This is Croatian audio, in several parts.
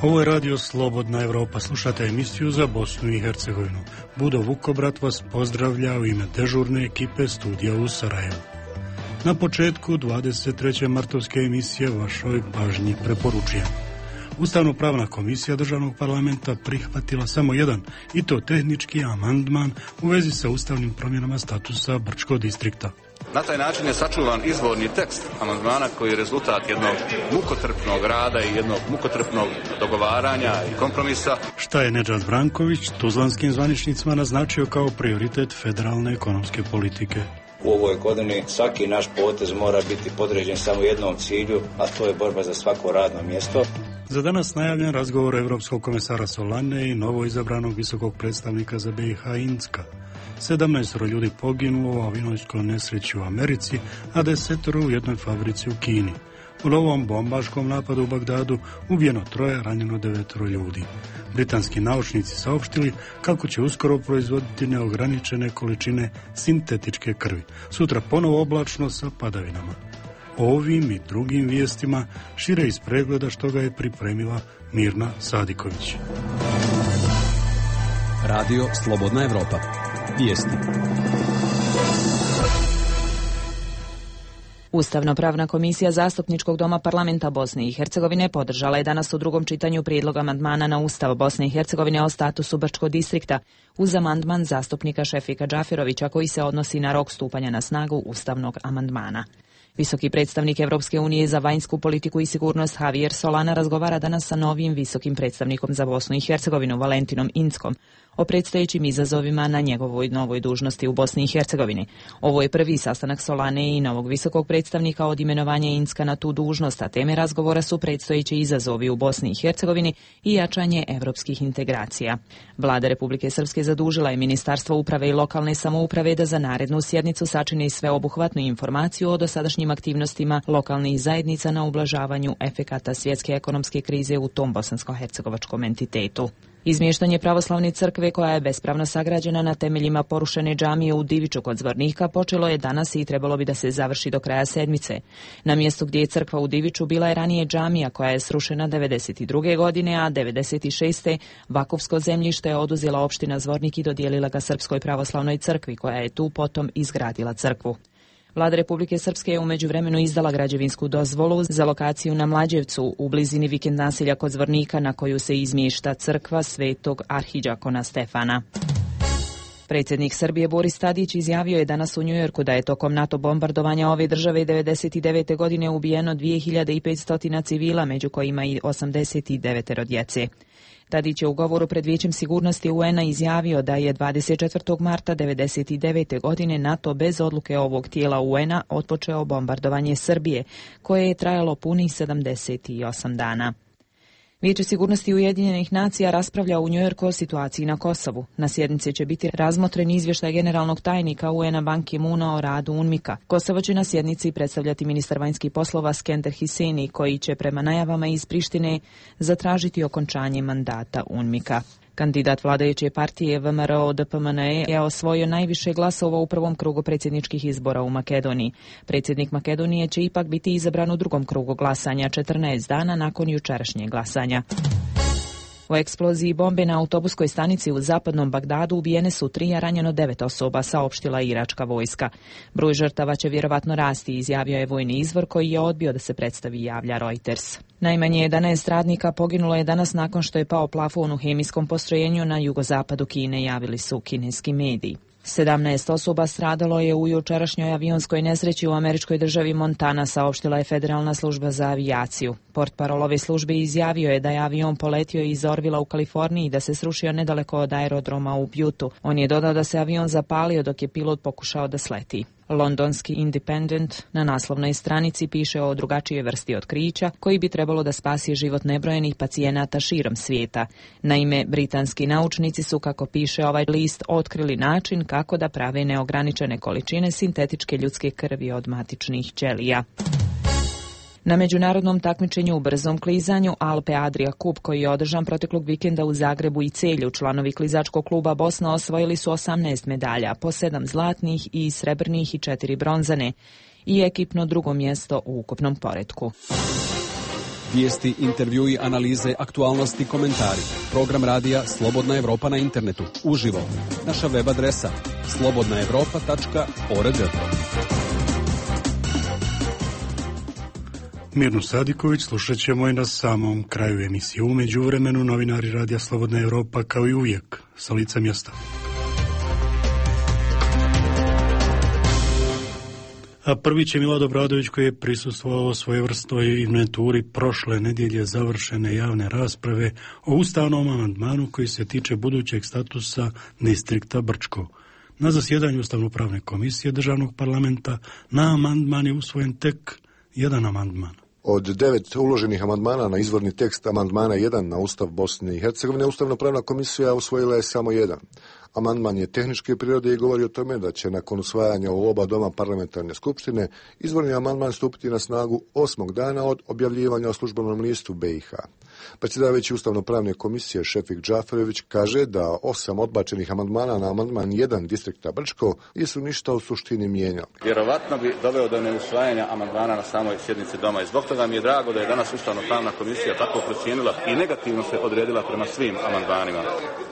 Ovo je radio Slobodna Evropa. Slušate emisiju za Bosnu i Hercegovinu. Budo Vukobrat vas pozdravlja u ime dežurne ekipe studija u Sarajevu. Na početku 23. martovske emisije vašoj pažnji preporučujem. Ustavno-pravna komisija Državnog parlamenta prihvatila samo jedan, i to tehnički amandman u vezi sa ustavnim promjenama statusa Brčkog distrikta. Na taj način je sačuvan izvorni tekst amandmana koji je rezultat jednog mukotrpnog rada i jednog mukotrpnog dogovaranja i kompromisa. Šta je Nedžad Branković tuzlanskim zvaničnicima naznačio kao prioritet federalne ekonomske politike? U ovoj godini svaki naš potez mora biti podređen samo jednom cilju, a to je borba za svako radno mjesto. Za danas najavljen razgovor Evropskog komesara Solane i novo izabranog visokog predstavnika za BiH Incka. 17 ljudi poginulo u avionskoj nesreći u Americi, a 10 u jednoj fabrici u Kini. U novom bombaškom napadu u Bagdadu ubijeno 3, ranjeno 9 ljudi. Britanski naučnici saopštili kako će uskoro proizvoditi neograničene količine sintetičke krvi. Sutra ponovo oblačno sa padavinama. O ovim i drugim vijestima šire iz pregleda što ga je pripremila Mirna Sadiković. Radio Slobodna Evropa. Vijesti. Ustavno-pravna komisija Zastupničkog doma parlamenta Bosne i Hercegovine podržala je danas u drugom čitanju prijedlog amandmana na Ustav Bosne i Hercegovine o statusu Brčkog distrikta uz amandman zastupnika Šefika Džaferovića koji se odnosi na rok stupanja na snagu ustavnog amandmana. Visoki predstavnik Evropske unije za vanjsku politiku i sigurnost Javier Solana razgovara danas sa novim visokim predstavnikom za Bosnu i Hercegovinu Valentinom Inckom o predstojećim izazovima na njegovoj novoj dužnosti u Bosni i Hercegovini. Ovo je prvi sastanak Solane i novog visokog predstavnika od imenovanja Incka na tu dužnost, a teme razgovora su predstojeći izazovi u Bosni i Hercegovini i jačanje evropskih integracija. Vlada Republike Srpske zadužila je Ministarstvo uprave i lokalne samouprave da za narednu sjednicu sačini sveobuhvatnu informaciju o dosadašnjim aktivnostima lokalnih zajednica na ublažavanju efekata svjetske ekonomske krize u tom bosansko-hercegovačkom entitetu. Izmještanje pravoslavne crkve koja je bespravno sagrađena na temeljima porušene džamije u Diviču kod Zvornika počelo je danas i trebalo bi da se završi do kraja sedmice. Na mjestu gdje je crkva u Diviču bila je ranije džamija koja je srušena 1992. godine, a 1996. vakufsko zemljište je oduzela opština Zvornik i dodijelila ga Srpskoj pravoslavnoj crkvi koja je tu potom izgradila crkvu. Vlada Republike Srpske je u međuvremenu izdala građevinsku dozvolu za lokaciju na Mlađevcu u blizini vikend naselja kod Zvornika na koju se izmješta crkva Svetog arhidžakona Stefana. Predsjednik Srbije Boris Tadić izjavio je danas u Njujorku da je tokom NATO bombardovanja ove države 1999. godine ubijeno 2500 civila, među kojima i 89 djece. Tadić je u govoru pred Vijećem sigurnosti UN-a izjavio da je 24. marta 1999. godine NATO bez odluke ovog tijela UN-a otpočeo bombardovanje Srbije, koje je trajalo punih 78 dana. Vijeće sigurnosti Ujedinjenih nacija raspravlja u Njujorku o situaciji na Kosovu. Na sjednici će biti razmotren izvještaj generalnog tajnika UN-a Ban Ki-moona o radu UNMIK-a. Kosovo će na sjednici predstavljati ministar vanjskih poslova Skender Hiseni, koji će prema najavama iz Prištine zatražiti okončanje mandata UNMIK-a. Kandidat vladajuće partije VMRO-DPMNE je osvojio najviše glasova u prvom krugu predsjedničkih izbora u Makedoniji. Predsjednik Makedonije će ipak biti izabran u drugom krugu glasanja 14 dana nakon jučerašnjeg glasanja. U eksploziji bombe na autobuskoj stanici u zapadnom Bagdadu ubijene su 3, a ranjeno 9 osoba, saopštila iračka vojska. Broj žrtava će vjerovatno rasti, izjavio je vojni izvor koji je odbio da se predstavi, javlja Reuters. Najmanje 11 radnika poginulo je danas nakon što je pao plafon u hemijskom postrojenju na jugozapadu Kine, javili su kineski mediji. 17 osoba stradalo je u jučerašnjoj avionskoj nesreći u američkoj državi Montana, saopštila je Federalna služba za avijaciju. Portparol ove službe izjavio je da je avion poletio iz Orvilla u Kaliforniji i da se srušio nedaleko od aerodroma u Butteu. On je dodao da se avion zapalio dok je pilot pokušao da sleti. Londonski Independent na naslovnoj stranici piše o drugačijoj vrsti otkrića koji bi trebalo da spasi život nebrojenih pacijenata širom svijeta. Naime, britanski naučnici su, kako piše ovaj list, otkrili način kako da prave neograničene količine sintetičke ljudske krvi od matičnih ćelija. Na međunarodnom takmičenju u brzom klizanju Alpe Adria Cup, koji je održan proteklog vikenda u Zagrebu i Celju, članovi klizačkog kluba Bosna osvojili su 18 medalja, po 7 zlatnih i srebrnih i 4 bronzane i ekipno drugo mjesto u ukupnom poretku. Vijesti, intervjui, analize, aktualnosti, komentari. Program radija Slobodna Evropa na internetu. Uživo. Naša web adresa slobodnaevropa.org. Mirnu Sadiković slušat ćemo i na samom kraju emisije. U međuvremenu novinari radija Slobodna Evropa kao i uvijek sa lica mjesta. A prvi će Milad Obradović, koji je prisustvovao svojevrsnoj inventuri prošle nedjelje završene javne rasprave o ustavnom amandmanu koji se tiče budućeg statusa distrikta Brčko. Na zasjedanju Ustavno-pravne komisije državnog parlamenta na amandman je usvojen tek jedan amandman. Od 9 uloženih amandmana na izvorni tekst amandmana 1 na Ustav Bosne i Hercegovine, Ustavno-pravna komisija usvojila je samo jedan. Amandman je tehničke prirode i govori o tome da će nakon usvajanja u oba doma parlamentarne skupštine izvorni amandman stupiti na snagu 8. dana od objavljivanja u službenom listu BiH. Predsjedavajući Ustavno-pravne komisije Šefik Džaferović kaže da 8 odbačenih amandmana na amandman 1 distrikta Brčko nisu ništa u suštini mijenjali. Vjerovatno bi doveo do neusvajanja amandmana na samoj sjednici doma i zbog toga mi je drago da je danas Ustavno-pravna komisija tako procijenila i negativno se odredila prema svim amandmanima.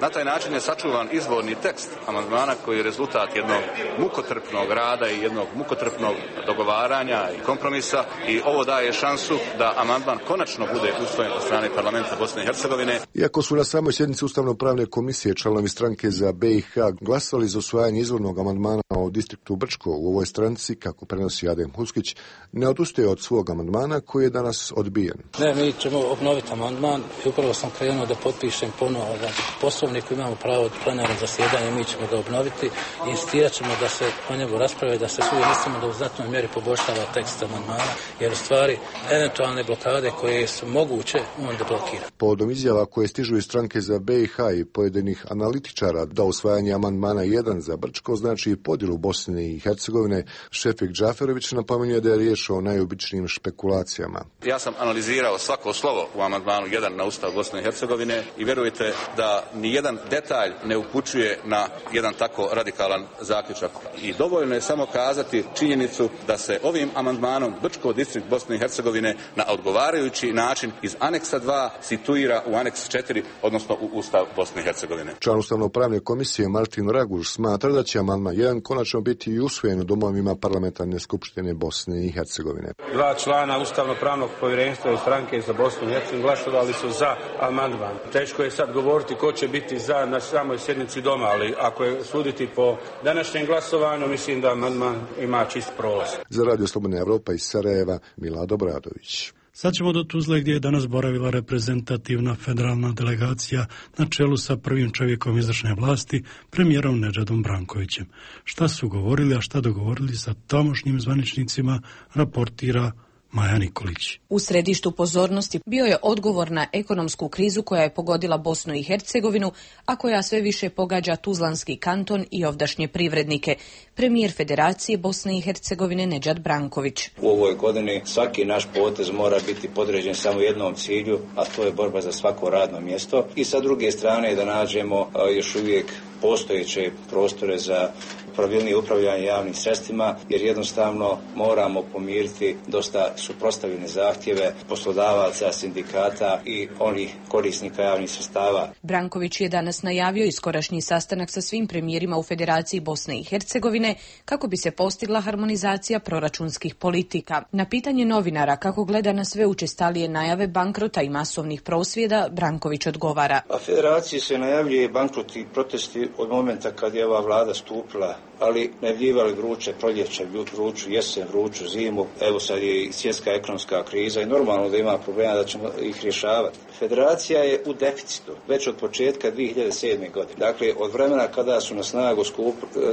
Na taj način je sačuvan izvorni tekst amandmana koji je rezultat jednog mukotrpnog rada i jednog mukotrpnog dogovaranja i kompromisa i ovo daje šansu da amandman konačno bude usvojen od strane parlamenta Bosne i Hercegovine. Iako su na samoj sjednici Ustavno-pravne komisije članovi stranke za BiH glasali za usvajanje izvornog amandmana o distriktu Brčko, u ovoj stranci, kako prenosi Adem Huskić, ne odustaje od svog amandmana koji je danas odbijen. Ne, mi ćemo obnoviti amandman i upravo sam krenuo da potpišem ponovo poslovnik, imamo pravo od plenarnog zasjedanja, mi ćemo ga obnoviti i insistirat ćemo da se o njemu rasprave, da se svi mislimo da u znatnoj mjeri poboljšava tekst amandmana, jer u stvari eventualne blokade koje su moguće on deblokira. Povodom izjava koje stižu iz stranke za BiH i pojedinih analitičara da usvajanje amandmana 1 za Brčko znači podjelu Bosne i Hercegovine, Šefik Džaferović napominje da je riječ o najobičnijim špekulacijama. Ja sam analizirao svako slovo u amandmanu 1 na Ustav Bosne i Hercegovine i vjerujte da ni jedan detalj ne upućuje na jedan tako radikalan zaključak. I dovoljno je samo kazati činjenicu da se ovim amandmanom Brčko distrikt Bosne i Hercegovine na odgovarajući način iz aneksa 2 situira u aneks 4, odnosno u Ustav Bosne i Hercegovine. Član Ustavno-pravne komisije Martin Raguž smatra da će amandman 1 konačno biti i usvojen u domovima parlamentarne skupštine Bosne i Hercegovine. 2 člana Ustavno-pravnog povjerenstva i stranke za Bosnu i Hercegovinu glasovali su za amandman. Teško je sad govoriti ko će biti za na samoj sjednici doma, ali ako je suditi po današnjem glasovanju, mislim da amandman ima čist prolaz. Za Radio Slobodna Evropa iz Sarajeva, Milad Obradović. Sad ćemo do Tuzle gdje je danas boravila reprezentativna federalna delegacija na čelu sa prvim čovjekom izvršne vlasti, premijerom Nedžadom Brankovićem. Šta su govorili, a šta dogovorili sa tamošnjim zvaničnicima, raportira Maja Nikolić. U središtu pozornosti bio je odgovor na ekonomsku krizu koja je pogodila Bosnu i Hercegovinu, a koja sve više pogađa Tuzlanski kanton i ovdašnje privrednike. Premijer Federacije Bosne i Hercegovine Nedžad Branković. U ovoj godini svaki naš potez mora biti podređen samo jednom cilju, a to je borba za svako radno mjesto. I sa druge strane da nađemo još uvijek postojeće prostore za pravilnije upravljanje javnim sredstvima, jer jednostavno moramo pomiriti dosta suprotstavljene zahtjeve poslodavaca, sindikata i onih korisnika javnih sredstava. Branković je danas najavio iskorašnji sastanak sa svim premijerima u Federaciji Bosne i Hercegovine kako bi se postigla harmonizacija proračunskih politika. Na pitanje novinara kako gleda na sve učestalije najave bankrota i masovnih prosvjeda, Branković odgovara. A Federaciji se najavljuje bankrot i protesti od momenta kad je ova vlada stupila, ali najavljivali vruće proljeće, vruću jesen, vruću zimu. Evo sad je i svjetska ekonomska kriza i normalno da ima problema da ćemo ih rješavati. Federacija je u deficitu već od početka 2007. godine. Dakle, od vremena kada su na snagu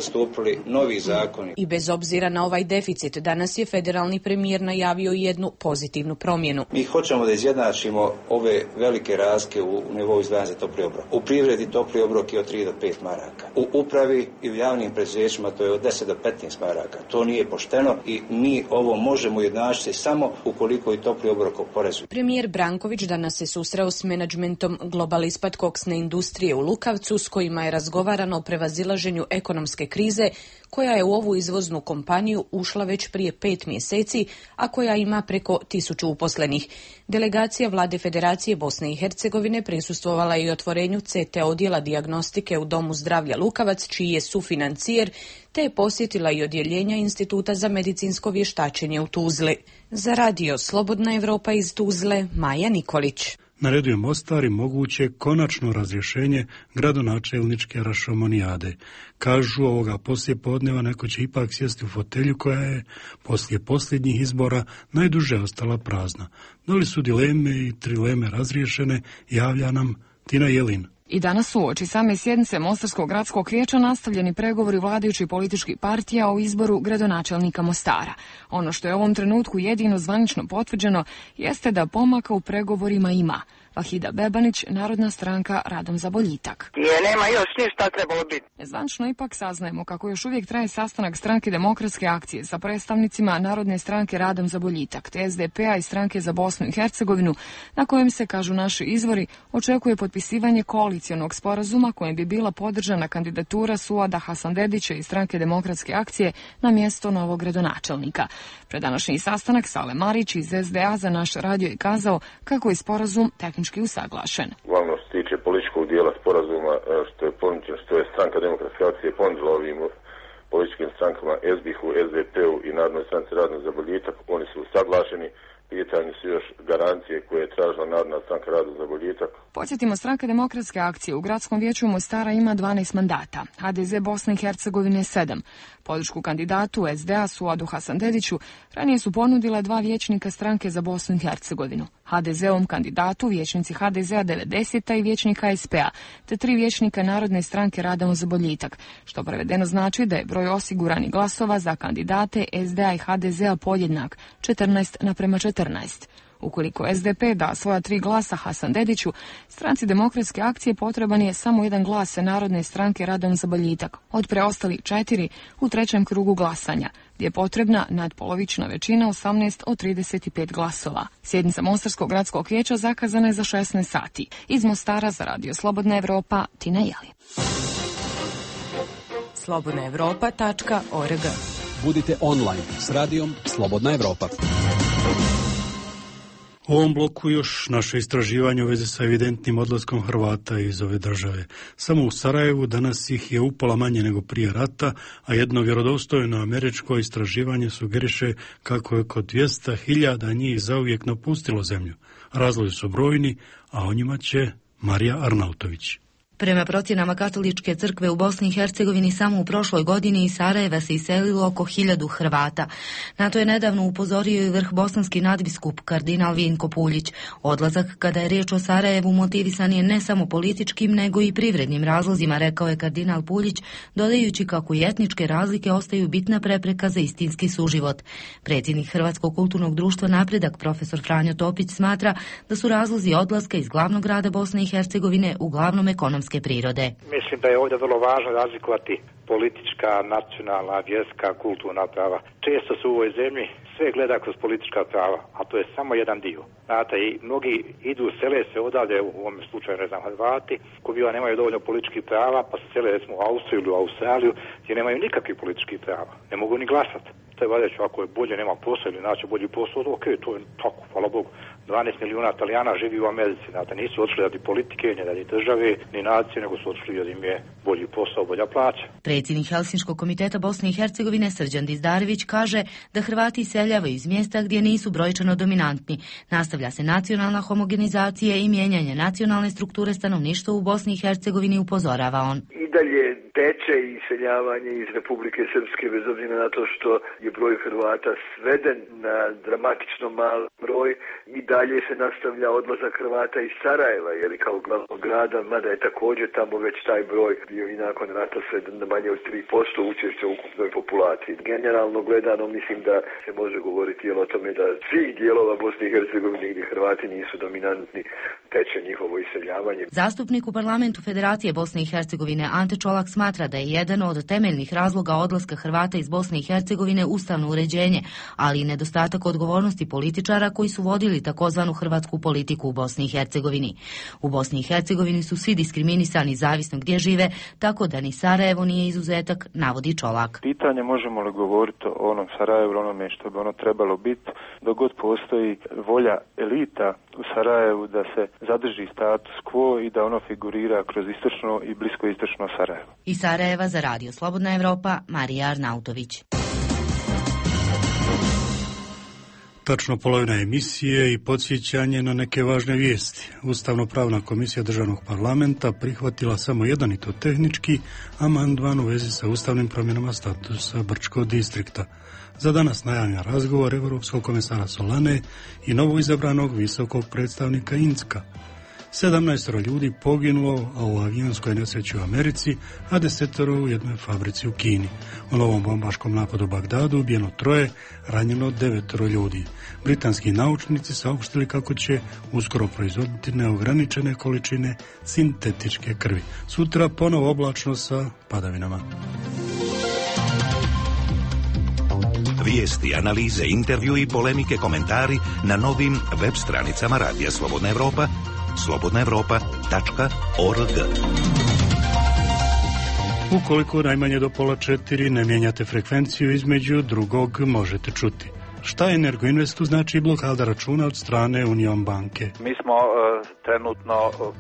stupili novi zakoni. I bez obzira na ovaj deficit, danas je federalni premijer najavio jednu pozitivnu promjenu. Mi hoćemo da izjednačimo ove velike razlike u nivou izdvajanja za topli obrok. U privredi topli obrok je od 3 do 5 maraka. U upravi i u javnim preduzećima to je od 10 do 15 maraka. To nije pošteno i mi ovo možemo ujednačiti samo ukoliko i topli obrok oporezuje. Premijer Branković danas se susreo s menadžmentom Global Ispad koksne industrije u Lukavcu, s kojima je razgovarano o prevazilaženju ekonomske krize koja je u ovu izvoznu kompaniju ušla već prije 5 mjeseci, a koja ima preko 1000 uposlenih. Delegacija Vlade Federacije Bosne i Hercegovine prisustvovala i otvorenju CT odjela dijagnostike u Domu zdravlja Lukavac, čiji je sufinancijer, te je posjetila i odjeljenja Instituta za medicinsko vještačenje u Tuzli. Za radio Slobodna Evropa iz Tuzle, Maja Nikolić. Na redu je Mostar i moguće konačno razrješenje gradonačelničke rašomonijade. Kažu ovoga poslijepodneva neko će ipak sjesti u fotelju koja je poslije posljednjih izbora najduže ostala prazna. Da li su dileme i trileme razriješene, javlja nam Tina Jelin. I danas uoči same sjednice Mostarskog gradskog vijeća nastavljeni pregovori vladajućih političkih partija o izboru gradonačelnika Mostara. Ono što je u ovom trenutku jedino zvanično potvrđeno jeste da pomaka u pregovorima ima. Vahida Bebanić, Narodna stranka Radom za boljitak. Nema još ništa trebalo biti. Zvanično ipak saznajemo kako još uvijek traje sastanak Stranke demokratske akcije sa predstavnicima Narodne stranke Radom za boljitak, te SDP-a i Stranke za Bosnu i Hercegovinu, na kojem se, kažu naši izvori, očekuje potpisivanje koalicionog sporazuma kojem bi bila podržana kandidatura Suada Hasanbedića iz Stranke demokratske akcije na mjesto novog gradonačelnika. Pred današnji sastanak Sale Marić iz SDA za naš radio je kazao kako je sporazum tehnički usaglašen. Uglavnom što se tiče političkog dijela sporazuma što je Stranka demokratske akcije ponudila ovim političkim strankama SBH-u, SDP-u i Narodnoj stranci Radom za boljitak, oni su usaglašeni. Pitanje su još garancije koje je tražila Narodna stranka Radom za boljitak. Podsjetimo, Stranka demokratske akcije u gradskom vijeću Mostara ima 12 mandata, HDZ Bosne i Hercegovine 7. Podršku kandidatu SDA Suadu Hasanbediću ranije su ponudila 2 vijećnika Stranke za Bosnu i Hercegovinu. HDZ-ovom kandidatu vijećnici HDZ-a 90. i vijećnik HSP-a, te 3 vijećnika Narodne stranke Radom za boljitak, što prevedeno znači da je broj osiguranih glasova za kandidate SDA i HDZ-a podjednak, 14:14. Ukoliko SDP da svoja 3 glasa Hasanbediću, Stranci demokratske akcije potreban je samo 1 glas Narodne stranke Radom za boljitak, od preostali 4 u 3. krugu glasanja, gdje je potrebna nadpolovična većina 18 od 35 glasova. Sjednica Mostarskog gradskog vijeća zakazana je za 16 sati. Iz Mostara za radio Slobodna Evropa, Tina Jelin. slobodnaevropa.org. Budite online s radijom Slobodna Evropa. U ovom bloku još naše istraživanje u vezi sa evidentnim odlaskom Hrvata iz ove države. Samo u Sarajevu danas ih je upola manje nego prije rata, a jedno vjerodostojno američko istraživanje sugeriše kako je oko 200.000 njih zauvijek napustilo zemlju. Razlozi su brojni, a o njima će Marija Arnautović. Prema procjenama Katoličke crkve u Bosni i Hercegovini samo u prošloj godini iz Sarajeva se iselilo oko 1000 Hrvata. Na to je nedavno upozorio i vrh bosanski nadbiskup kardinal Vinko Puljić. Odlazak kada je riječ o Sarajevu motivisan je ne samo političkim nego i privrednim razlozima, rekao je kardinal Puljić, dodajući kako i etničke razlike ostaju bitna prepreka za istinski suživot. Predsjednik Hrvatskog kulturnog društva Napredak profesor Franjo Topić smatra da su razlozi odlaska iz glavnog grada Bosne i Hercegovine uglavnom ekonomske prirode. Mislim da je ovdje vrlo važno razlikovati politička, nacionalna, vjerska, kulturna prava. Često se u ovoj zemlji sve gleda kroz politička prava, a to je samo jedan dio. Znate, i mnogi idu, sele se odavde, u ovom slučaju, ne znam, Hrvati, koji biva nemaju dovoljno političkih prava, pa se sele, recimo, u Austriju ili u Australiju, gdje nemaju nikakvih političkih prava. Ne mogu ni glasati. To je valjda, ako je bolje, nema posao ili naći bolji posao, ok, to je tako, hvala Bogu. 12 milijuna Italijana živi u Americi, znate, nisu otišli radi politike, ni radi države, ni nacije, nego su otišli jer im je bolji posao, bolja plaća. Predsjednik Helsinškog komiteta Bosne i Hercegovine Srđan Dizdarević kaže da Hrvati iseljavaju iz mjesta gdje nisu brojčano dominantni. Nastavlja se nacionalna homogenizacija i mijenjanje nacionalne strukture stanovništva u Bosni i Hercegovini, upozorava on. I dalje teče iseljavanje iz Republike Srpske, bez obzira na to što je broj Hrvata sveden na dramatično mal broj, i dalje se nastavlja odlazak Hrvata iz Sarajeva, jer kao glavnog grada, mada je također tamo već taj broj bio i nakon rata sveden na manje od 3% učešća u ukupnoj populaciji. Generalno gledano mislim da se može govoriti o tome da svih dijelova Bosne i Hercegovine gdje Hrvati nisu dominantni teče njihovo iseljavanje. Zastupnik u parlamentu Federacije Bosne i Hercegovine Ante Čolak smatra da je jedan od temeljnih razloga odlaska Hrvata iz Bosne i Hercegovine ustavno uređenje, ali i nedostatak odgovornosti političara koji su vodili takozvanu hrvatsku politiku u Bosni i Hercegovini. U Bosni i Hercegovini su svi diskriminisani zavisno gdje žive, tako da ni Sarajevo nije izuzetak, navodi Čolak. Pitanje možemo li govoriti o onom Sarajevu, onome što bi ono trebalo biti, dok god postoji volja elita u Sarajevu da se zadrži status quo i da ono figurira kroz istočno i bliskoistočno Sarajevo. Iz Sarajeva za Radio Slobodna Evropa, Marija Arnautović. Tačno polovina emisije i podsjećanje na neke važne vijesti. Ustavno-pravna komisija državnog parlamenta prihvatila samo jedan, i to tehnički, amandman u vezi sa ustavnim promjenama statusa Brčkog distrikta. Za danas najavljen razgovor Europskog komesara Solane i novoizabranog visokog predstavnika Incka. 17 ljudi poginulo u avionskoj nesreći u Americi, a 10 u jednoj fabrici u Kini. U novom bombaškom napadu u Bagdadu ubijeno 3, ranjeno 9 ljudi. Britanski naučnici saopštili kako će uskoro proizvoditi neograničene količine sintetičke krvi. Sutra ponovo oblačno sa padavinama. Vijesti, analize, intervju i polemike, komentari na novim web stranicama Radija Slobodna Evropa, slobodnaevropa.org. Ukoliko najmanje do 3:30 ne mijenjate frekvenciju, između drugog možete čuti. Šta Energoinvestu znači blokada računa od strane Union banke? Mi smo trenutno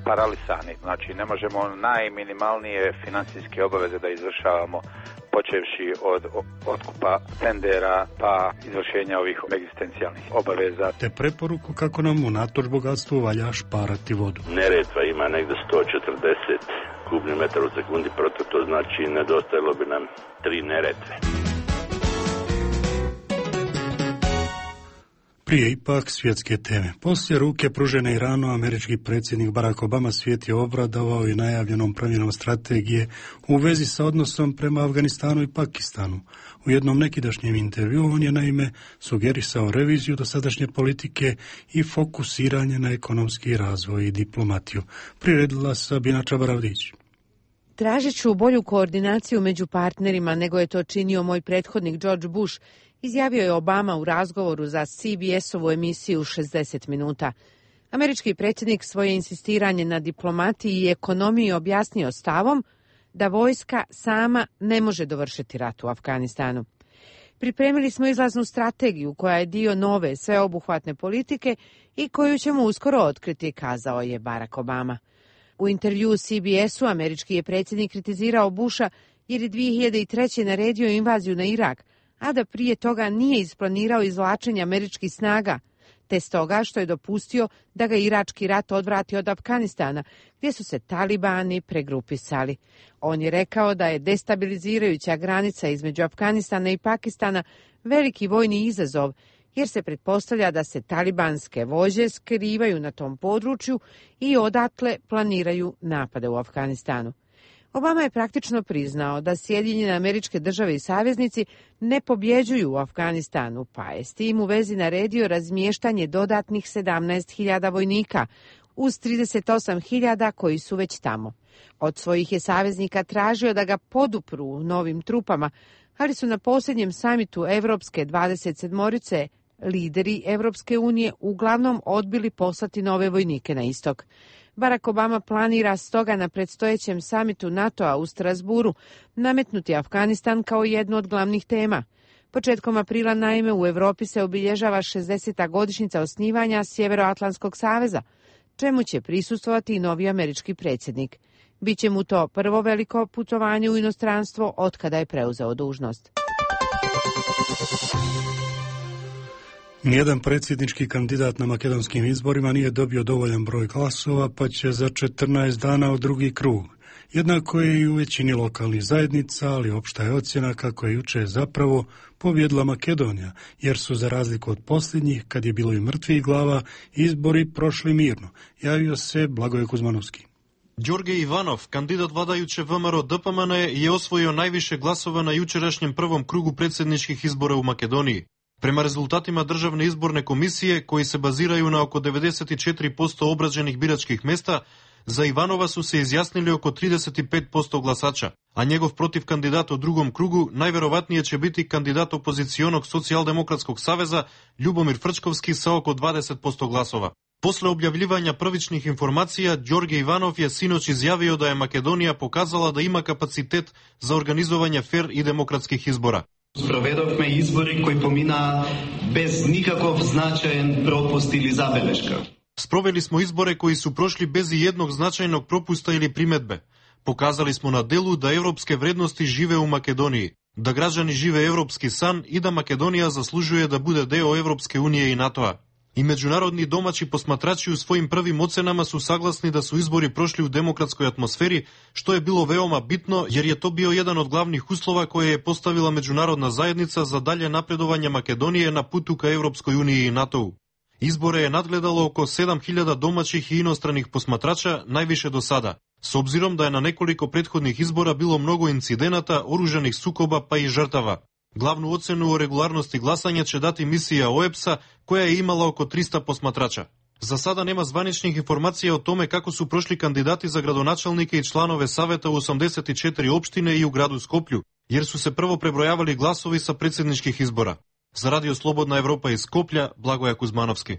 paralisani, znači ne možemo najminimalnije financijske obaveze da izvršavamo, počevši od otkupa tendera pa izvršenja ovih egzistencijalnih obaveza. Te preporuku kako nam unatoč bogatstvu valja šparati vodu. Neretva ima negdje 140 kubnih metara u sekundi protok, to znači nedostajalo bi nam 3 Neretve. Prije ipak svjetske teme. Poslije ruke pružene Iranu, američki predsjednik Barack Obama svijet je obradovao i najavljenom promjenom strategije u vezi sa odnosom prema Afganistanu i Pakistanu. U jednom nekidašnjem intervju on je naime sugerisao reviziju dosadašnje politike i fokusiranje na ekonomski razvoj i diplomatiju. Priredila Sabina Čabaravdić. Tražit ću bolju koordinaciju među partnerima nego je to činio moj prethodnik George Bush, izjavio je Obama u razgovoru za CBS-ovu emisiju 60 minuta. Američki predsjednik svoje insistiranje na diplomatiji i ekonomiji objasnio stavom da vojska sama ne može dovršiti rat u Afganistanu. Pripremili smo izlaznu strategiju koja je dio nove sveobuhvatne politike i koju ćemo uskoro otkriti, kazao je Barack Obama. U intervjuu CBS-u američki je predsjednik kritizirao Busha jer je 2003. naredio invaziju na Irak, a da prije toga nije isplanirao izvlačenje američkih snaga, te stoga što je dopustio da ga irački rat odvrati od Afganistana, gdje su se talibani pregrupisali. On je rekao da je destabilizirajuća granica između Afganistana i Pakistana veliki vojni izazov, jer se pretpostavlja da se talibanske vođe skrivaju na tom području i odatle planiraju napade u Afganistanu. Obama je praktično priznao da Sjedinjene Američke Države i saveznici ne pobjeđuju u Afganistanu, pa je s tim u vezi naredio razmještanje dodatnih 17.000 vojnika uz 38.000 koji su već tamo. Od svojih je saveznika tražio da ga podupru novim trupama, ali su na posljednjem samitu Evropske 27-orice lideri Evropske unije uglavnom odbili poslati nove vojnike na istok. Barack Obama planira stoga na predstojećem samitu NATO-a u Strasburu nametnuti Afganistan kao jednu od glavnih tema. Početkom aprila naime u Europi se obilježava 60. godišnjica osnivanja Sjevernoatlantskog saveza, čemu će prisustvovati i novi američki predsjednik. Biće mu to prvo veliko putovanje u inostranstvo otkada je preuzeo dužnost. Nijedan predsjednički kandidat na makedonskim izborima nije dobio dovoljan broj glasova, pa će za 14 dana u drugi krug. Jednako je i u većini lokalnih zajednica, ali opšta je ocjena kako je juče zapravo pobjedila Makedonija, jer su za razliku od posljednjih, kad je bilo i mrtvih glava, izbori prošli mirno. Javio se Blagoje Kuzmanovski. Đorđe Ivanov, kandidat vladajuće VMRO DPMN, je osvojio najviše glasova na jučerašnjem prvom krugu predsjedničkih izbora u Makedoniji. Prema rezultatima Državne izborne komisije, koji se baziraju na oko 94% obrađenih biračkih mjesta, За Иванова su se izjasnili oko 35% glasača, a njegov protiv kandidat u drugom krugu najverovatnije će biti kandidat opozicionog Socijaldemokratskog saveza Ljubomir Frčkovski sa oko 20% glasova. Posle objavljivanja prvičnih informacija, Đorđe Ivanov je sinoć izjavio da je Makedonija pokazala da ima kapacitet za organizovanje fer i demokratskih izbora. Sprovedovme izbori koji pomina bez nikakov značajan propust ili zabeleška. Sproveli smo izbore koji su prošli bez jednog značajnog propusta ili primetbe. Pokazali smo na delu da evropske vrednosti žive u Makedoniji, da građani žive evropski san i da Makedonija zaslužuje da bude deo Evropske unije i NATO-a. I međunarodni domaći posmatrači u svojim prvim ocenama su saglasni da su izbori prošli u demokratskoj atmosferi, što je bilo veoma bitno jer je to bio jedan od glavnih uslova koje je postavila međunarodna zajednica za dalje napredovanje Makedonije na putu ka Evropskoj uniji i NATO-u. Izbore je nadgledalo oko 7000 domaćih i inostranih posmatrača, najviše do sada, s obzirom da je na nekoliko prethodnih izbora bilo mnogo incidenata, oružanih sukoba pa i žrtava. Glavnu ocenu o regularnosti glasanja će dati misija OEBS-a koja je imala oko 300 posmatrača. Za sada nema zvaničnih informacija o tome kako su prošli kandidati za gradonačelnike i članove saveta u 84 opštine i u gradu Skoplju, jer su se prvo prebrojavali glasovi sa predsjedničkih izbora. Za Radio Slobodna Evropa iz Skoplja, Blagoja Kuzmanovski.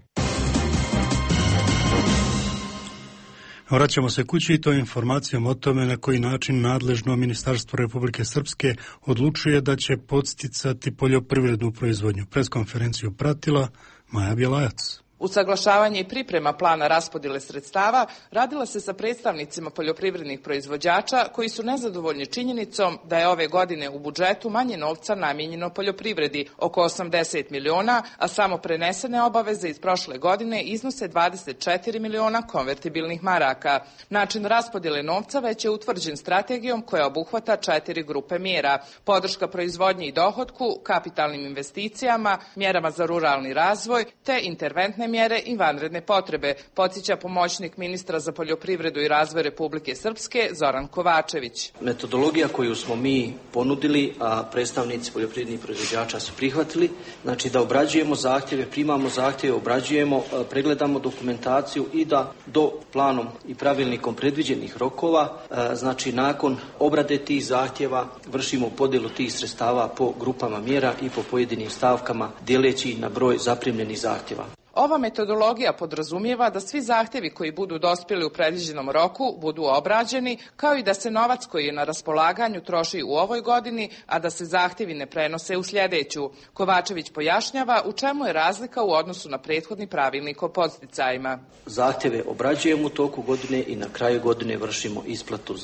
Vraćamo se kući i to informacijom o tome na koji način nadležno Ministarstvo Republike Srpske odlučuje da će podsticati poljoprivrednu proizvodnju. Preskonferenciju pratila Maja Bjelajac. Usaglašavanje i priprema plana raspodjele sredstava radila se sa predstavnicima poljoprivrednih proizvođača koji su nezadovoljni činjenicom da je ove godine u budžetu manje novca namijenjeno poljoprivredi, oko 80 miliona, a samo prenesene obaveze iz prošle godine iznose 24 miliona konvertibilnih maraka. Način raspodjele novca već je utvrđen strategijom koja obuhvata 4 grupe mjera: podrška proizvodnji i dohotku, kapitalnim investicijama, mjerama za ruralni razvoj te interventne mjere i vanredne potrebe, podsjeća pomoćnik ministra za poljoprivredu i razvoj Republike Srpske Zoran Kovačević. Metodologija koju smo mi ponudili, a predstavnici poljoprivrednih proizvođača su prihvatili, znači da obrađujemo zahtjeve, primamo zahtjeve, obrađujemo, pregledamo dokumentaciju i da do planom i pravilnikom predviđenih rokova, znači nakon obrade tih zahtjeva vršimo podjelu tih sredstava po grupama mjera i po pojedinim stavkama dijeleći na broj zaprimljenih zahtjeva. Ova metodologija podrazumijeva da svi zahtjevi koji budu dospjeli u predviđenom roku budu obrađeni, kao i da se novac koji je na raspolaganju troši u ovoj godini, a da se zahtjevi ne prenose u sljedeću. Kovačević pojašnjava u čemu je razlika u odnosu na prethodni pravilnik o podsticajima. Zahtjeve obrađujemo u toku godine i na kraju godine vršimo isplatu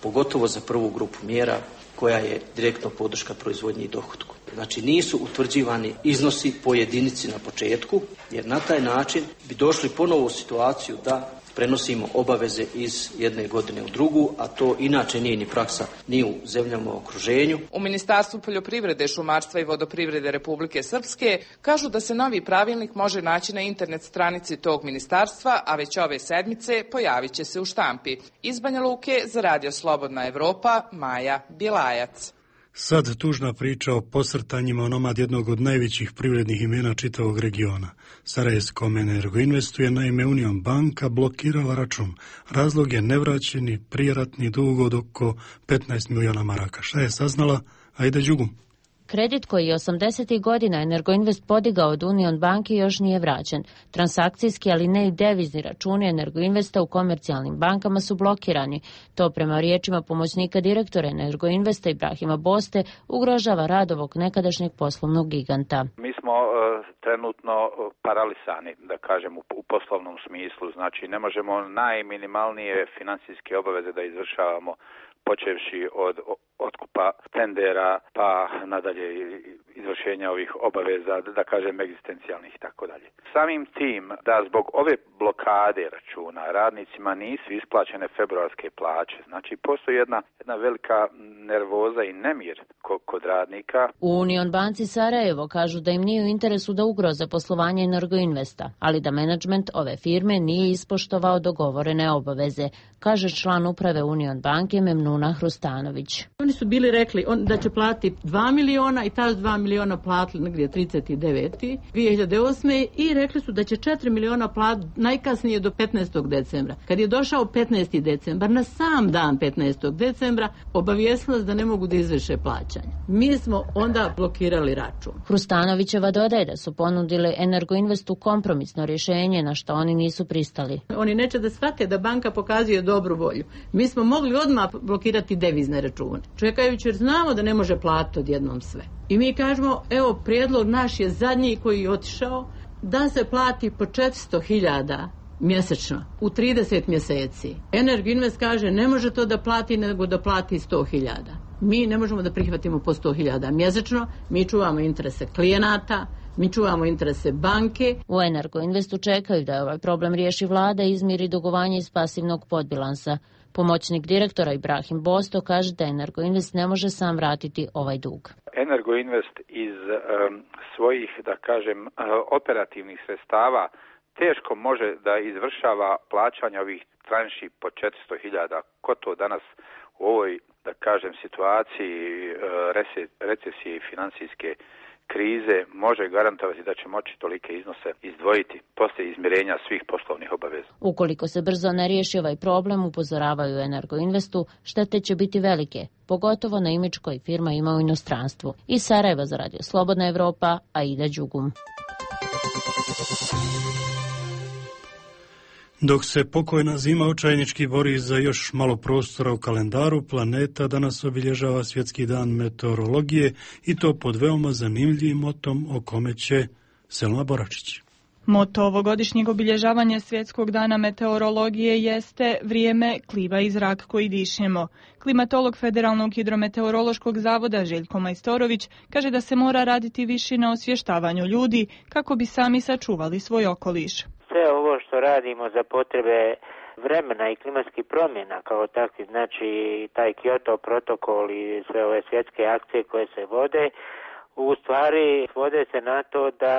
pogotovo za prvu grupu mjera koja je direktno podrška proizvodnji i dohotku. Znači nisu utvrđivani iznosi po jedinici na početku, jer na taj način bi došli ponovo u situaciju da prenosimo obaveze iz jedne godine u drugu, a to inače nije ni praksa ni u zemljama u okruženju. U Ministarstvu poljoprivrede, šumarstva i vodoprivrede Republike Srpske kažu da se novi pravilnik može naći na internet stranici tog ministarstva, a već ove sedmice pojavit će se u štampi. Iz Banja Luke za Radio Slobodna Evropa, Maja Bjelajac. Sad tužna priča o posrtanjima onomad jednog od najvećih privrednih imena čitavog regiona. Sarajevskom Energoinvestu je naime Union banka blokirala račun. Razlog je nevraćeni prijeratni dug od oko 15 miliona maraka. Šta je saznala? Ajde Đugum. Kredit koji je 80. godina Energoinvest podigao od Union banke još nije vraćen. Transakcijski, ali ne i devizni računi Energoinvesta u komercijalnim bankama su blokirani. To prema riječima pomoćnika direktora Energoinvesta Ibrahima Boste ugrožava rad ovog nekadašnjeg poslovnog giganta. Mi smo trenutno paralisani, da kažem, u poslovnom smislu. Znači ne možemo najminimalnije financijske obaveze da izvršavamo, počevši od otkupa tendera pa nadalje izvršenja ovih obaveza, da kažem, egzistencijalnih i tako dalje. Samim tim da zbog ove blokade računa radnicima nisu isplaćene februarske plaće. Znači postoji jedna velika nervoza i nemir kod radnika. U Union banci Sarajevo kažu da im nije u interesu da ugroze poslovanje Energoinvesta, ali da menadžment ove firme nije ispoštovao dogovorene obaveze, kaže član uprave Union banke Memnuna Hrustanović. Oni su bili rekli da će platiti 2 miliona i ta 2 miliona platili negdje 39. 2008. i rekli su da će 4 miliona platiti najkasnije do 15. decembra. Kad je došao 15. decembar, na sam dan 15. decembra, obavijestili da ne mogu da izvrše plaćanje. Mi smo onda blokirali račun. Hrustanovićeva dodaje da su ponudili Energoinvestu kompromisno rješenje na što oni nisu pristali. Oni neće da shvate da banka pokazuje dobru volju. Mi smo mogli odmah blokirati devizne račune, čekajući jer znamo da ne može platiti odjednom sve. I mi kažemo, evo, prijedlog naš je zadnji koji je otišao, da se plati po 400.000 mjesečno u 30 mjeseci. Energoinvest kaže ne može to da plati, nego da plati 100.000. Mi ne možemo da prihvatimo po 100.000 mjesečno, mi čuvamo interese klijenata, mi čuvamo interese banke. U Energoinvestu čekaju da ovaj problem riješi vlada i izmiri dugovanje iz pasivnog podbilansa. Pomoćnik direktora Ibrahim Bosto kaže da Energoinvest ne može sam vratiti ovaj dug. Energoinvest iz svojih, da kažem, operativnih sredstava teško može da izvršava plaćanje ovih tranši po 400.000. Ko to danas u ovoj, da kažem, situaciji recesije i financijske krize može garantovati da će moći tolike iznose izdvojiti poslije izmirenja svih poslovnih obaveza. Ukoliko se brzo ne riješi ovaj problem, upozoravaju Energoinvestu, štete će biti velike, pogotovo na imidž koji firma ima u inostranstvu. Iz Sarajeva za Radio Slobodna Evropa, Aida Đugum. Dok se pokojna zima očajnički bori za još malo prostora u kalendaru planeta, danas obilježava Svjetski dan meteorologije i to pod veoma zanimljivim motom o kome će Selma Boračić. Moto ovogodišnjeg obilježavanja Svjetskog dana meteorologije jeste vrijeme, klima i zrak koji dišemo. Klimatolog Federalnog hidrometeorološkog zavoda Željko Majstorović kaže da se mora raditi više na osvještavanju ljudi kako bi sami sačuvali svoj okoliš. Sve ovo što radimo za potrebe vremena i klimatskih promjena kao takvi, znači taj Kyoto protokol i sve ove svjetske akcije koje se vode, u stvari svode se na to da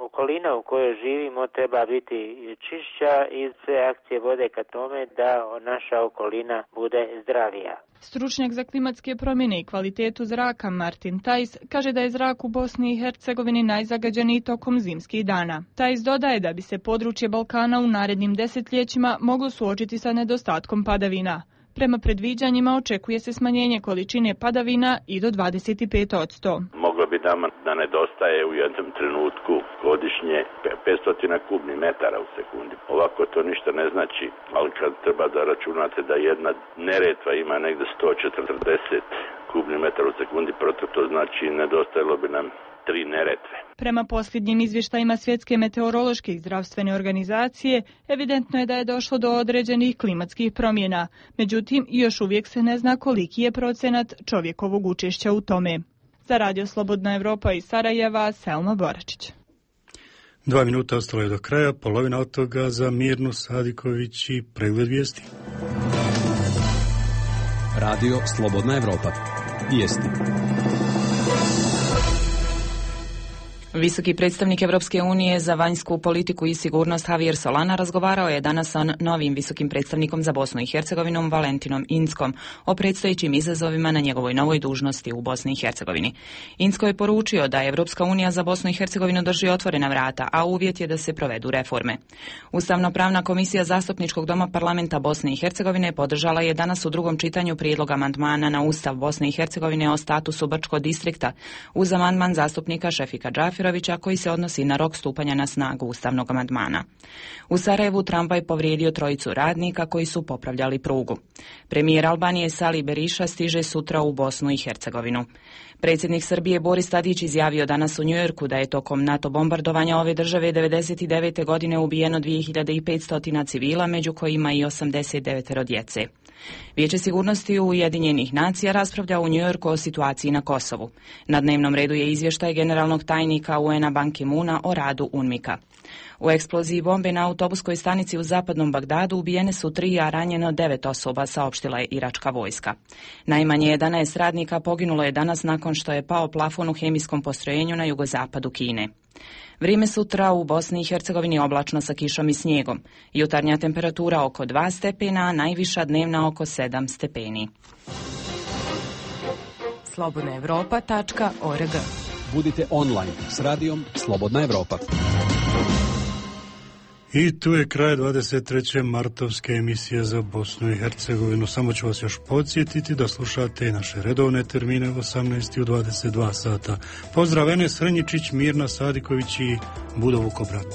okolina u kojoj živimo treba biti čišća i sve akcije vode ka tome da naša okolina bude zdravija. Stručnjak za klimatske promjene i kvalitetu zraka Martin Tajs kaže da je zrak u Bosni i Hercegovini najzagađeniji tokom zimskih dana. Tajs dodaje da bi se područje Balkana u narednim desetljećima moglo suočiti sa nedostatkom padavina. Prema predviđanjima očekuje se smanjenje količine padavina i do 25%. Moglo bi nama da nedostaje u jednom trenutku godišnje 500 kubnih metara u sekundi. Ovako to ništa ne znači, ali kad treba da računate da jedna Neretva ima negde 140 kubnih metara u sekundi, proto to znači nedostajalo bi nam 3 Neretve. Prema posljednjim izvještajima Svjetske meteorološke i zdravstvene organizacije, evidentno je da je došlo do određenih klimatskih promjena. Međutim, još uvijek se ne zna koliki je procenat čovjekovog učešća u tome. Za Radio Slobodna Evropa iz Sarajeva, Selma Boračić. 2 minuta ostalo je do kraja, polovina od toga za Mirnu Sadiković i pregled vijesti. Radio Slobodna Evropa. Vijesti. Visoki predstavnik Evropske unije za vanjsku politiku i sigurnost Javier Solana razgovarao je danas sa novim visokim predstavnikom za Bosnu i Hercegovinu Valentinom Inckom o predstojećim izazovima na njegovoj novoj dužnosti u Bosni i Hercegovini. Incko je poručio da Evropska unija za Bosnu i Hercegovinu drži otvorena vrata, a uvjet je da se provedu reforme. Ustavno-pravna komisija Zastupničkog doma parlamenta Bosne i Hercegovine podržala je danas u drugom čitanju prijedlog amandmana na Ustav Bosne i Hercegovine o statusu Brčko distrikta uz amandman zastupnika Šefika Džafirovića koji se odnosi na rok stupanja na snagu ustavnog amandmana. U Sarajevu tramvaj povrijedio 3 radnika koji su popravljali prugu. Premijer Albanije Sali Beriša stiže sutra u Bosnu i Hercegovinu. Predsjednik Srbije Boris Tadić izjavio danas u Njujorku da je tokom NATO bombardovanja ove države 1999. godine ubijeno 2500 civila, među kojima i 89 djece. Vijeće sigurnosti Ujedinjenih nacija raspravlja u Njujorku o situaciji na Kosovu. Na dnevnom redu je izvještaj generalnog tajnika UN-a Ban Ki-moona o radu UNMIK-a. U eksploziji bombe na autobuskoj stanici u zapadnom Bagdadu ubijene su 3, a ranjeno 9 osoba, saopštila je iračka vojska. Najmanje 11 radnika poginulo je danas nakon što je pao plafon u hemijskom postrojenju na jugozapadu Kine. Vrijeme sutra u Bosni i Hercegovini oblačno sa kišom i snijegom. Jutarnja temperatura oko 2 stepena, a najviša dnevna oko 7 stepeni. slobodnaevropa.org Budite online s radijom Slobodna Evropa. I tu je kraj 23. martovske emisije za Bosnu i Hercegovinu. Samo ću vas još podsjetiti da slušate naše redovne termine 18 i u 22 sata. Pozdrav Enes Srenjičić, Mirna Sadiković i Budo Vukobrat.